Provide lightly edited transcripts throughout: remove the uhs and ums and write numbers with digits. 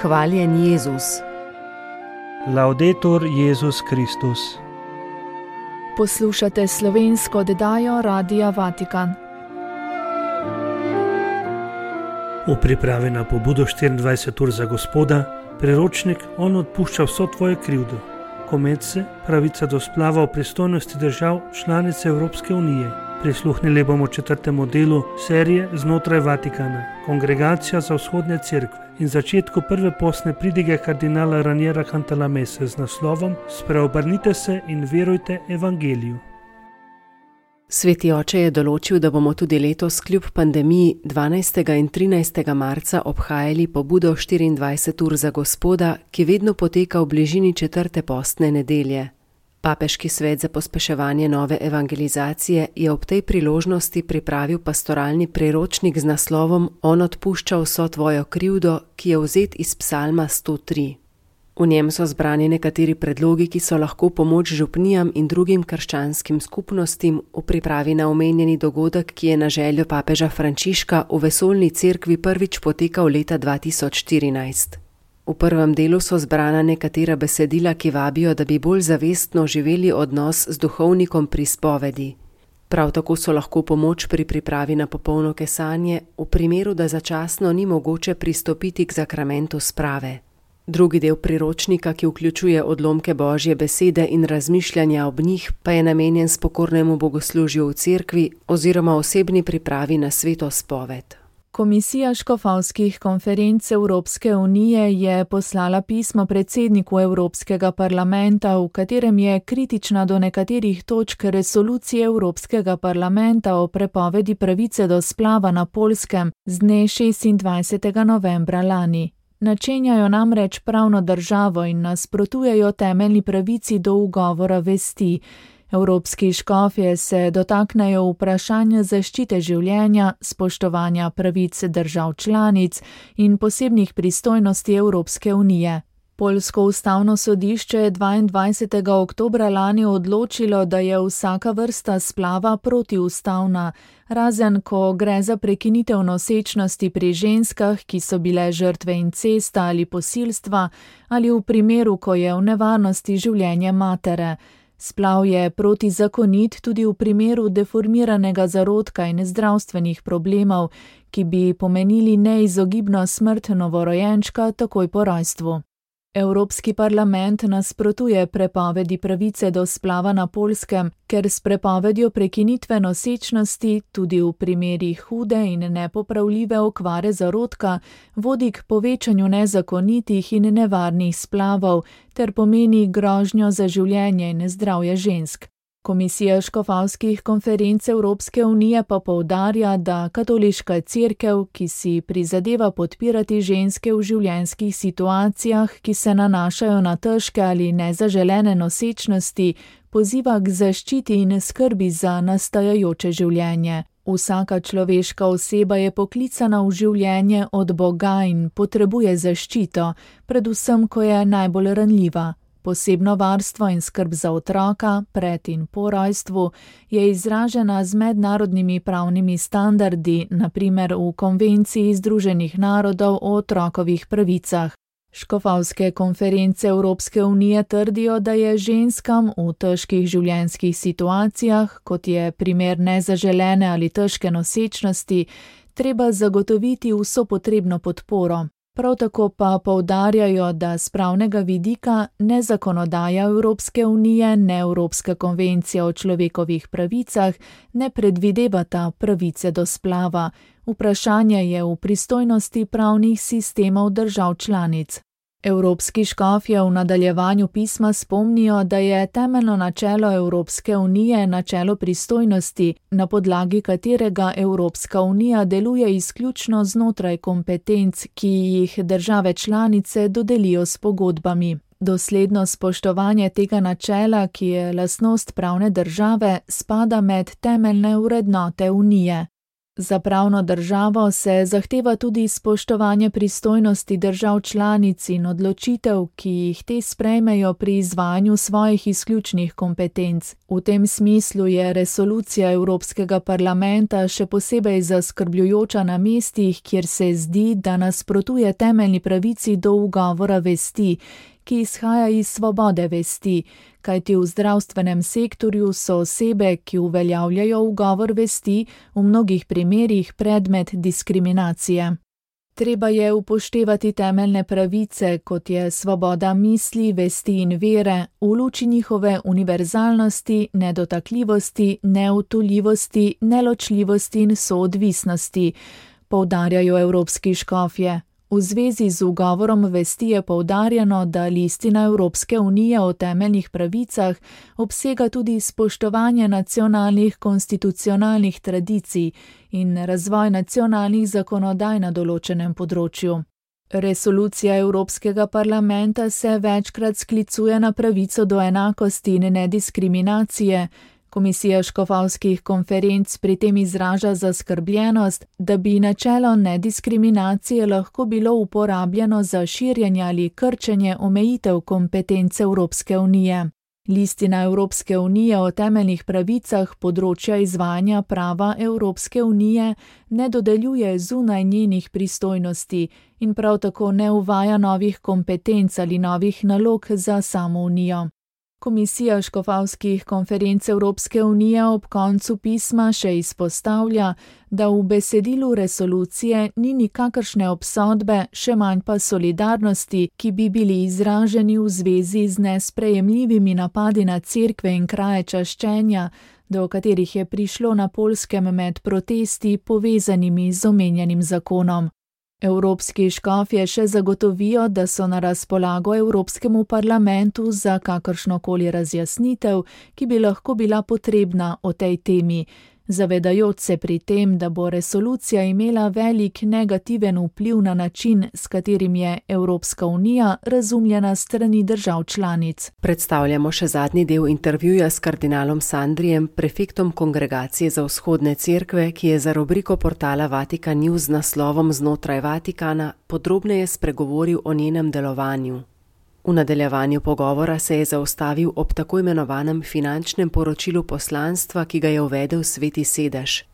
Hvaljen Jezus. Laudetur Jezus Kristus. Poslušate slovensko oddajo Radia Vatikan. V pripravi na pobudo 24 ur za Gospoda, priročnik On odpušča vso tvojo krivdo. Komece, pravica do splava v pristojnosti držav članice Evropske unije. Prisluhnili bomo 4. delu serije Znotraj Vatikana, Kongregacija za vzhodne cerkve in začetku prve postne pridige kardinala Raniera Cantalamesse z naslovom Spreobrnite se in verujte evangeliju. Sveti oče je določil, da bomo tudi letos kljub pandemiji 12. in 13. marca obhajali pobudo 24 ur za Gospoda, ki vedno poteka v bližini 4. postne nedelje. Papeški svet za pospeševanje nove evangelizacije je ob tej priložnosti pripravil pastoralni priročnik z naslovom On odpušča vso tvojo krivdo, ki je vzet iz psalma 103. V njem so zbrani nekateri predlogi, ki so lahko pomoč župnijam in drugim krščanskim skupnostim v pripravi na omenjeni dogodek, ki je na željo papeža Frančiška v vesoljni cerkvi prvič potekal leta 2014. V prvem delu so zbrana nekatera besedila, ki vabijo, da bi bolj zavestno živeli odnos z duhovnikom pri spovedi. Prav tako so lahko pomoč pri pripravi na popolno kesanje, v primeru, da začasno ni mogoče pristopiti k zakramentu sprave. Drugi del priročnika, ki vključuje odlomke Božje besede in razmišljanja ob njih, pa je namenjen spokornemu bogoslužju v cerkvi oziroma osebni pripravi na sveto spoved. Komisija škofovskih konferenc Evropske unije je poslala pismo predsedniku Evropskega parlamenta, v katerem je kritična do nekaterih točk resolucije Evropskega parlamenta o prepovedi pravice do splava na Poljskem z dne 26. novembra lani. Načenjajo namreč pravno državo in nasprotujejo temeljni pravici do ugovora vesti. Evropski škofje se dotaknejo vprašanja zaščite življenja, spoštovanja pravic držav članic in posebnih pristojnosti Evropske unije. Poljsko ustavno sodišče je 22. oktobra lani odločilo, da je vsaka vrsta splava protiustavna, razen ko gre za prekinitev nosečnosti pri ženskah, ki so bile žrtve incesta ali posilstva, ali v primeru, ko je v nevarnosti življenje matere. Splav je protizakonit tudi v primeru deformiranega zarodka in zdravstvenih problemov, ki bi pomenili neizogibno smrt novorojenčka takoj po rojstvu. Evropski parlament nasprotuje prepovedi pravice do splava na Poljskem, ker s prepovedjo prekinitve nosečnosti tudi v primerih hude in nepopravljive okvare zarodka vodi k povečanju nezakonitih in nevarnih splavov ter pomeni grožnjo za življenje in zdravje žensk. Komisija škofovskih konferenc Evropske unije pa poudarja, da katoliška cerkev, ki si prizadeva podpirati ženske v življenjskih situacijah, ki se nanašajo na težke ali nezaželene nosečnosti, poziva k zaščiti in skrbi za nastajajoče življenje. Vsaka človeška oseba je poklicana v življenje od Boga in potrebuje zaščito, predvsem, ko je najbolj ranljiva. Posebno varstvo in skrb za otroka, pred in po rojstvu, je izražena z mednarodnimi pravnimi standardi, na primer v Konvenciji Združenih narodov o otrokovih pravicah. Škofovske konference Evropske unije trdijo, da je ženskam v težkih življenjskih situacijah, kot je primer nezaželene ali težke nosečnosti, treba zagotoviti vso potrebno podporo. Prav tako pa poudarjajo, da z pravnega vidika ne zakonodaja Evropske unije, ne Evropska konvencija o človekovih pravicah ne predvidevata pravice do splava. Vprašanje je v pristojnosti pravnih sistemov držav članic. Evropski škofje v nadaljevanju pisma spomnijo, da je temeljno načelo Evropske unije načelo pristojnosti, na podlagi katerega Evropska unija deluje izključno znotraj kompetenc, ki jih države članice dodelijo s pogodbami. Dosledno spoštovanje tega načela, ki je lastnost pravne države, spada med temeljne vrednote unije. Za pravno državo se zahteva tudi spoštovanje pristojnosti držav članic in odločitev, ki jih te sprejmejo pri izvajanju svojih izključnih kompetenc. V tem smislu je resolucija Evropskega parlamenta še posebej zaskrbljujoča na mestih, kjer se zdi, da nasprotuje temeljni pravici do ugovora vesti, ki izhaja iz svobode vesti, kajti v zdravstvenem sektorju so osebe, ki uveljavljajo ugovor vesti, v mnogih primerih predmet diskriminacije. Treba je upoštevati temeljne pravice, kot je svoboda misli, vesti in vere, v luči njihove univerzalnosti, nedotakljivosti, neodtujljivosti, neločljivosti in soodvisnosti, poudarjajo evropski škofje. V zvezi z ugovorom vesti je poudarjeno, da listina Evropske unije o temeljnih pravicah obsega tudi spoštovanje nacionalnih konstitucionalnih tradicij in razvoj nacionalnih zakonodaj na določenem področju. Resolucija Evropskega parlamenta se večkrat sklicuje na pravico do enakosti in nediskriminacije. Komisija škofovskih konferenc pri tem izraža zaskrbljenost, da bi načelo nediskriminacije lahko bilo uporabljeno za širjenje ali krčenje omejitev kompetenc Evropske unije. Listina Evropske unije o temeljnih pravicah področja izvajanja prava Evropske unije ne dodeljuje zunaj njenih pristojnosti in prav tako ne uvaja novih kompetenc ali novih nalog za samo unijo. Komisija škofovskih konferenc Evropske unije ob koncu pisma še izpostavlja, da v besedilu resolucije ni nikakršne obsodbe, še manj pa solidarnosti, ki bi bili izraženi v zvezi z nesprejemljivimi napadi na cerkve in kraje čaščenja, do katerih je prišlo na Poljskem med protesti povezanimi z omenjenim zakonom. Evropski škofje še zagotovijo, da so na razpolago Evropskemu parlamentu za kakršnokoli razjasnitev, ki bi lahko bila potrebna o tej temi, zavedajoč se pri tem, da bo resolucija imela velik negativen vpliv na način, s katerim je Evropska unija razumljena s strani držav članic. Predstavljamo še zadnji del intervjuja s kardinalom Sandrijem, prefektom Kongregacije za vzhodne cerkve, ki je za rubriko portala Vatikan News z naslovom Znotraj Vatikana podrobneje spregovoril o njenem delovanju. V nadaljevanju pogovora se je zaustavil ob tako imenovanem finančnem poročilu poslanstva, ki ga je uvedel Sveti sedež.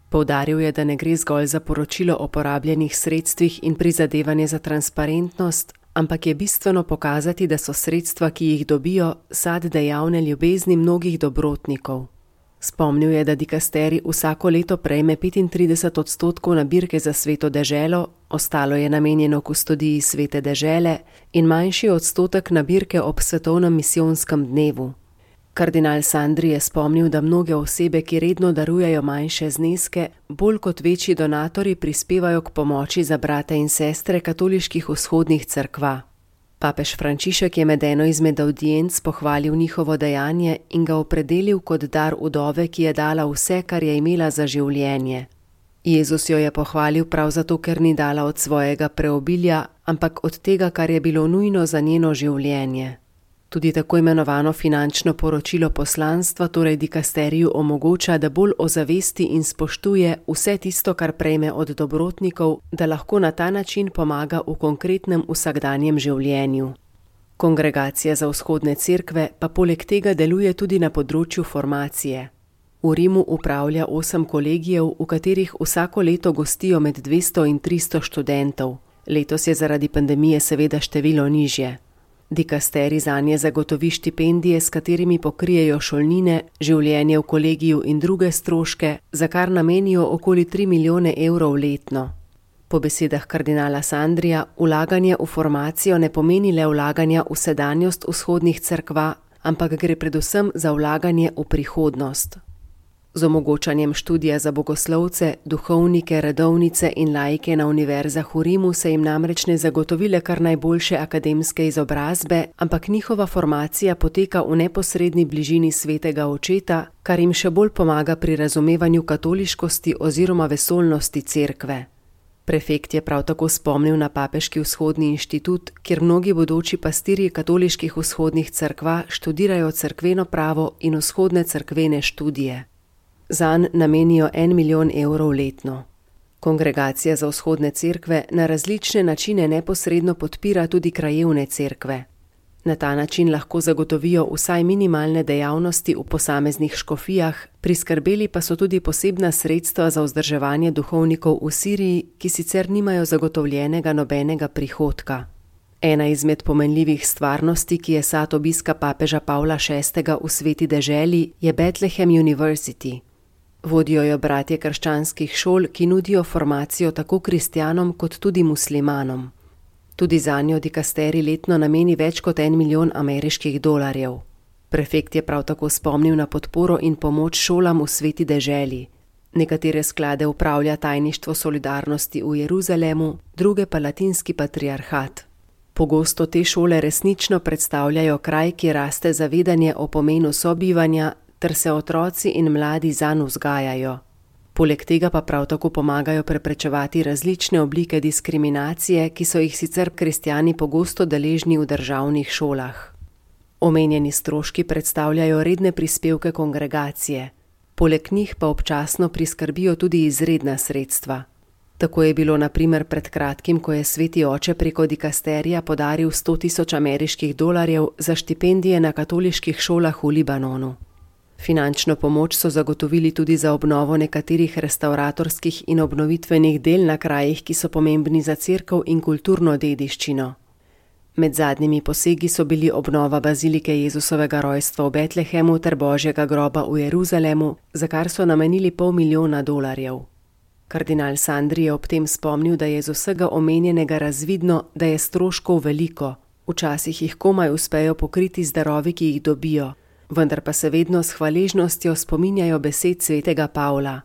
Poudaril je, da ne gre zgolj za poročilo o porabljenih sredstvih in prizadevanje za transparentnost, ampak je bistveno pokazati, da so sredstva, ki jih dobijo, sad dejavne ljubezni mnogih dobrotnikov. Spomnil je, da dikasterij vsako leto prejme 35% nabirke za Sveto deželo, ostalo je namenjeno kustodiji Svete dežele in manjši odstotek nabirke ob svetovnem misijonskem dnevu. Kardinal Sandri je spomnil, da mnoge osebe, ki redno darujejo manjše zneske, bolj kot večji donatorji prispevajo k pomoči za brate in sestre katoliških vzhodnih cerkva. Papež Frančišek je med eno izmed avdienc pohvalil njihovo dejanje in ga opredelil kot dar vdove, ki je dala vse, kar je imela za življenje. Jezus jo je pohvalil prav zato, ker ni dala od svojega preobilja, ampak od tega, kar je bilo nujno za njeno življenje. Tudi tako imenovano finančno poročilo poslanstva, torej dikasteriju, omogoča, da bolj ozavesti in spoštuje vse tisto, kar prejme od dobrotnikov, da lahko na ta način pomaga v konkretnem vsakdanjem življenju. Kongregacija za vzhodne cerkve pa poleg tega deluje tudi na področju formacije. V Rimu upravlja 8 kolegijev, v katerih vsako leto gostijo med 200 in 300 študentov. Letos je zaradi pandemije seveda število nižje. Dikasterij zanje zagotovi štipendije, s katerimi pokrijejo šolnine, življenje v kolegiju in druge stroške, za kar namenijo okoli 3 milijone evrov letno. Po besedah kardinala Sandrija, vlaganje v formacijo ne pomeni le vlaganja v sedanjost vzhodnih cerkva, ampak gre predvsem za vlaganje v prihodnost. Z omogočanjem študija za bogoslovce, duhovnike, redovnice in laike na univerzah v Rimu se jim namreč ne zagotovile kar najboljše akademske izobrazbe, ampak njihova formacija poteka v neposredni bližini svetega očeta, kar jim še bolj pomaga pri razumevanju katoliškosti oziroma vesoljnosti cerkve. Prefekt je prav tako spomnil na Papeški vzhodni inštitut, kjer mnogi bodoči pastirji katoliških vzhodnih cerkva študirajo cerkveno pravo in vzhodne cerkvene študije. Zanj namenijo 1 milijon evrov letno. Kongregacija za vzhodne cerkve na različne načine neposredno podpira tudi krajevne cerkve. Na ta način lahko zagotovijo vsaj minimalne dejavnosti v posameznih škofijah, priskrbeli pa so tudi posebna sredstva za vzdrževanje duhovnikov v Siriji, ki sicer nimajo zagotovljenega nobenega prihodka. Ena izmed pomenljivih stvarnosti, ki je sad obiska papeža Pavla VI. V sveti deželi, je Bethlehem University. Vodijo jo bratje krščanskih šol, ki nudijo formacijo tako kristjanom kot tudi muslimanom. Tudi zanjo dikasterij letno nameni več kot 1 milijon ameriških dolarjev. Prefekt je prav tako spomnil na podporo in pomoč šolam v sveti deželi. Nekatere sklade upravlja tajništvo solidarnosti v Jeruzalemu, druge pa latinski patriarhat. Pogosto te šole resnično predstavljajo kraj, ki raste zavedanje o pomenu sobivanja, ter se otroci in mladi zanj vzgajajo. Poleg tega pa prav tako pomagajo preprečevati različne oblike diskriminacije, ki so jih sicer kristjani pogosto deležni v državnih šolah. Omenjeni stroški predstavljajo redne prispevke kongregacije. Poleg njih pa občasno priskrbijo tudi izredna sredstva. Tako je bilo na primer pred kratkim, ko je sveti oče preko dikasterija podaril 100.000 ameriških dolarjev za štipendije na katoliških šolah v Libanonu. Finančno pomoč so zagotovili tudi za obnovo nekaterih restavratorskih in obnovitvenih del na krajih, ki so pomembni za cerkev in kulturno dediščino. Med zadnjimi posegi so bili obnova bazilike Jezusovega rojstva v Betlehemu ter Božjega groba v Jeruzalemu, za kar so namenili $500,000. Kardinal Sandri je ob tem spomnil, da je z vsega omenjenega razvidno, da je stroškov veliko. Včasih jih komaj uspejo pokriti z darovi, ki jih dobijo. Vendar pa se vedno s hvaležnostjo spominjajo besed svetega Pavla.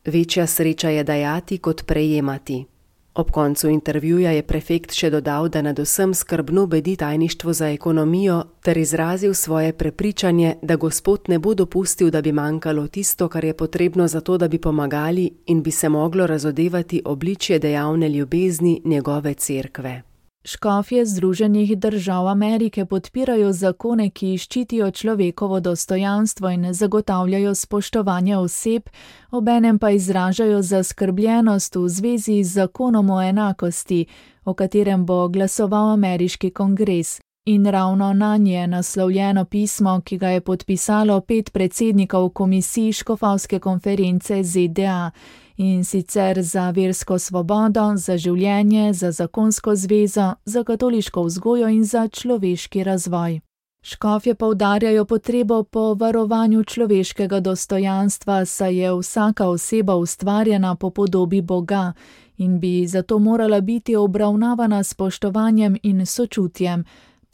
Večja sreča je dajati kot prejemati. Ob koncu intervjuja je prefekt še dodal, da nad vsem skrbno bedi tajništvo za ekonomijo ter izrazil svoje prepričanje, da Gospod ne bo dopustil, da bi manjkalo tisto, kar je potrebno za to, da bi pomagali in bi se moglo razodevati obličje dejavne ljubezni njegove cerkve. Škofje Združenih držav Amerike podpirajo zakone, ki ščitijo človekovo dostojanstvo in zagotavljajo spoštovanje oseb, obenem pa izražajo zaskrbljenost v zvezi z zakonom o enakosti, o katerem bo glasoval ameriški kongres. In ravno nanje je naslovljeno pismo, ki ga je podpisalo 5 predsednikov komisij škofovske konference ZDA, in sicer za versko svobodo, za življenje, za zakonsko zvezo, za katoliško vzgojo in za človeški razvoj. Škofje poudarjajo potrebo po varovanju človeškega dostojanstva, saj je vsaka oseba ustvarjena po podobi Boga in bi zato morala biti obravnavana s spoštovanjem in sočutjem.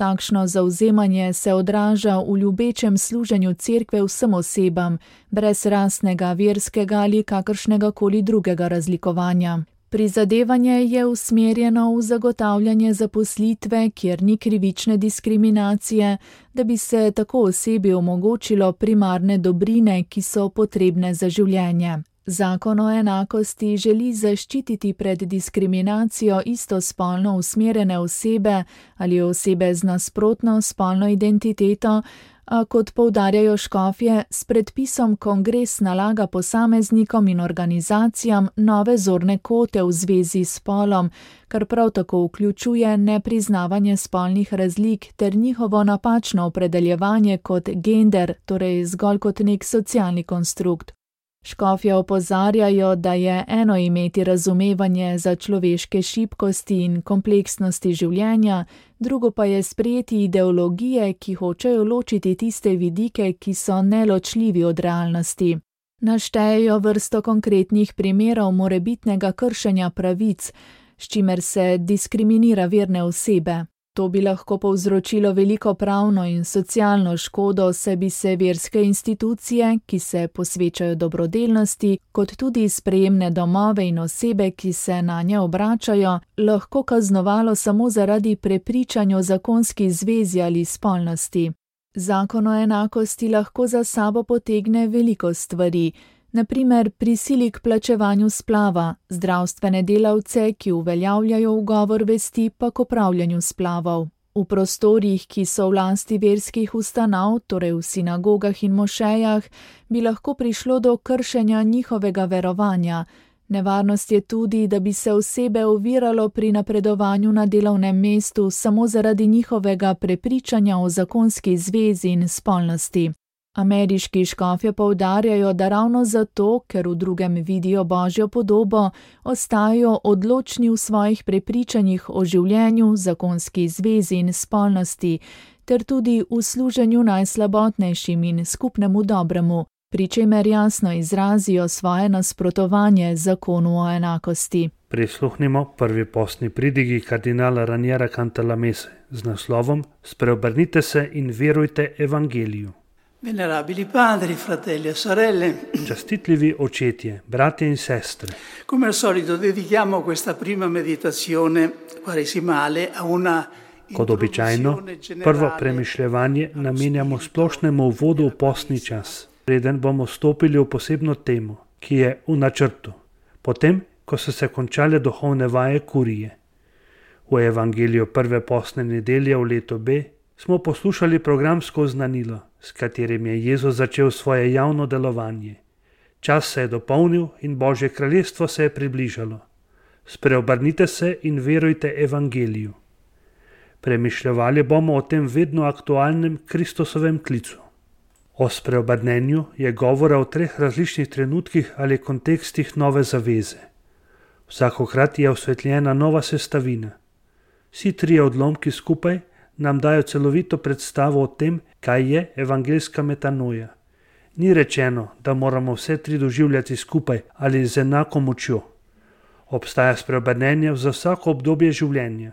Takšno zavzemanje se odraža v ljubečem služenju cerkve vsem osebam, brez rasnega, verskega ali kakršnega koli drugega razlikovanja. Prizadevanje je usmerjeno v zagotavljanje zaposlitve, kjer ni krivične diskriminacije, da bi se tako osebi omogočilo primarne dobrine, ki so potrebne za življenje. Zakon o enakosti želi zaščititi pred diskriminacijo istospolno usmerjene osebe ali osebe z nasprotno spolno identiteto, a kot poudarjajo škofje, s predpisom kongres nalaga posameznikom in organizacijam nove zorne kote v zvezi s spolom, kar prav tako vključuje nepriznavanje spolnih razlik ter njihovo napačno opredeljevanje kot gender, torej zgolj kot nek socialni konstrukt. Škofje opozarjajo, da je eno imeti razumevanje za človeške šibkosti in kompleksnosti življenja, drugo pa je sprejeti ideologije, ki hočejo ločiti tiste vidike, ki so neločljivi od realnosti. Naštejejo vrsto konkretnih primerov morebitnega kršenja pravic, s čimer se diskriminira verne osebe. To bi lahko povzročilo veliko pravno in socialno škodo, saj bi se verske institucije, ki se posvečajo dobrodelnosti, kot tudi sprejemne domove in osebe, ki se nanje obračajo, lahko kaznovalo samo zaradi prepričanja o zakonski zvezi ali spolnosti. Zakon o enakosti lahko za sabo potegne veliko stvari, na primer prisili k plačevanju splava, zdravstvene delavce, ki uveljavljajo ugovor vesti, pa k opravljanju splavov. V prostorih, ki so v lasti verskih ustanov, torej v sinagogah in mošejah, bi lahko prišlo do kršenja njihovega verovanja. Nevarnost je tudi, da bi se osebe oviralo pri napredovanju na delovnem mestu samo zaradi njihovega prepričanja o zakonski zvezi in spolnosti. Ameriški škofje poudarjajo, da ravno zato, ker v drugem vidijo Božjo podobo, ostajajo odločni v svojih prepričanjih o življenju, zakonski zvezi in spolnosti, ter tudi v služenju najslabotnejšim in skupnemu dobremu, pri čemer jasno izrazijo svoje nasprotovanje zakonu o enakosti. Prisluhnimo prvi postni pridigi kardinala Raniera Cantalamesse z naslovom Spreobrnite se in verujte evangeliju. Venerabili padri, fratelli e sorelle. Častitljivi očetje, bratje in sestre. Come al solito dedichiamo questa prima meditazione quaresimale a una Kot običajno, prvo premišljevanje namenjamo splošnemu uvodu v postni čas, preden bomo stopili v posebno temo, ki je v načrtu, potem, ko so se končale duhovne vaje kurije. V evangeliju prve postne nedelje v letu B smo poslušali programsko oznanilo, s katerim je Jezus začel svoje javno delovanje. Čas se je dopolnil in Božje kraljestvo se je približalo. Spreobrnite se in verujte evangeliju. Premišljevali bomo o tem vedno aktualnem Kristusovem klicu. O spreobrnenju je govora v 3 različnih trenutkih ali kontekstih nove zaveze. Vsakokrat je osvetljena nova sestavina. Vsi 3 odlomki skupaj nam dajo celovito predstavo o tem, kaj je evangeljska metanoja. Ni rečeno, da moramo vse 3 doživljati skupaj ali z enako močjo. Obstaja spreobrnenje za vsako obdobje življenja.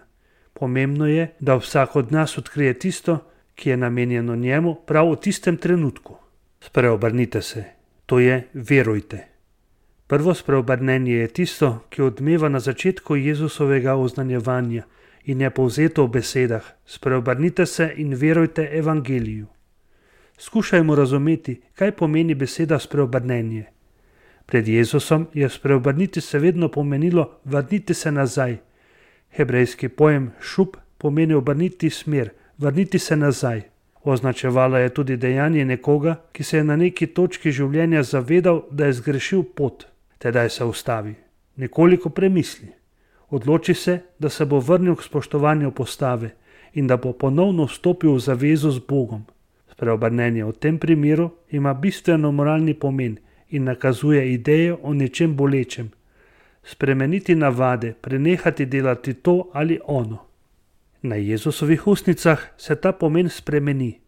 Pomembno je, da vsak od nas odkrije tisto, ki je namenjeno njemu prav v tistem trenutku. Spreobrnite se, to je verujte. Prvo spreobrnenje je tisto, ki odmeva na začetku Jezusovega oznanjevanja in je povzeto v besedah: spreobrnite se in verujte evangeliju. Skušajmo razumeti, kaj pomeni beseda spreobrnenje. Pred Jezusom je spreobrniti se vedno pomenilo vrniti se nazaj. Hebrejski pojem šup pomeni obrniti smer, vrniti se nazaj. Označevalo je tudi dejanje nekoga, ki se je na neki točki življenja zavedal, da je zgrešil pot. Tedaj se ustavi, nekoliko premisli. Odloči se, da se bo vrnil k spoštovanju postave in da bo ponovno vstopil v zavezo z Bogom. Spreobrnenje v tem primeru ima bistveno moralni pomen in nakazuje idejo o nečem bolečem. Spremeniti navade, prenehati delati to ali ono. Na Jezusovih ustnicah se ta pomen spremeni.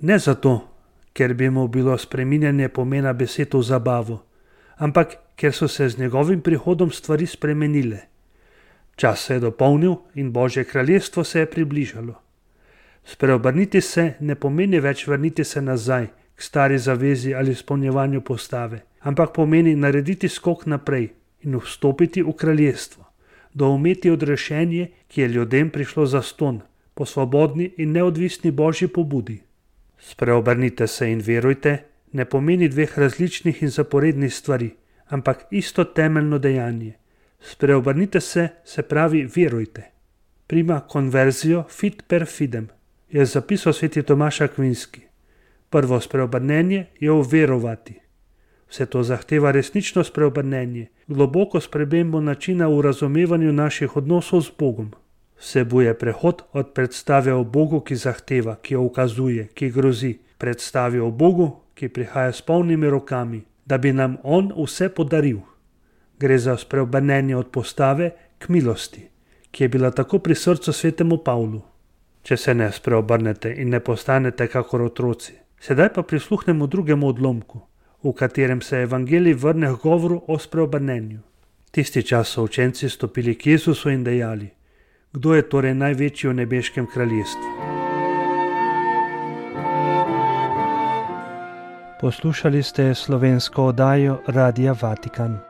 Ne zato, ker bi mu bilo spreminjanje pomena besed v zabavo, ampak ker so se z njegovim prihodom stvari spremenile. Čas se je dopolnil in Božje kraljestvo se je približalo. Spreobrniti se ne pomeni več vrniti se nazaj k stari zavezi ali izpolnjevanju postave, ampak pomeni narediti skok naprej in vstopiti v kraljestvo, doumeti odrešenje, ki je ljudem prišlo zastonj, po svobodni in neodvisni Božji pobudi. Spreobrnite se in verujte ne pomeni 2 različnih in zaporednih stvari, ampak isto temeljno dejanje. Spreobrnite se, se pravi verujte. Prima conversio fit per fidem, je zapisal sveti Tomaž Akvinski. Prvo spreobrnenje je uverovati. Vse to zahteva resnično spreobrnenje, globoko spremembo načina v razumevanju naših odnosov z Bogom. Vsebuje prehod od predstave o Bogu, ki zahteva, ki ukazuje, ki grozi, predstavi o Bogu, ki prihaja s polnimi rokami, da bi nam On vse podaril. Gre za spreobrnenje od postave k milosti, ki je bila tako pri srcu svetemu Pavlu. Če se ne spreobrnete in ne postanete kakor otroci. Sedaj pa prisluhnemo drugemu odlomku, v katerem se evangelij vrne k govoru o spreobrnenju. Tisti čas so učenci stopili k Jezusu in dejali: Kdo je torej največji v nebeškem kraljestvu? Poslušali ste slovensko oddajo Radia Vatikan.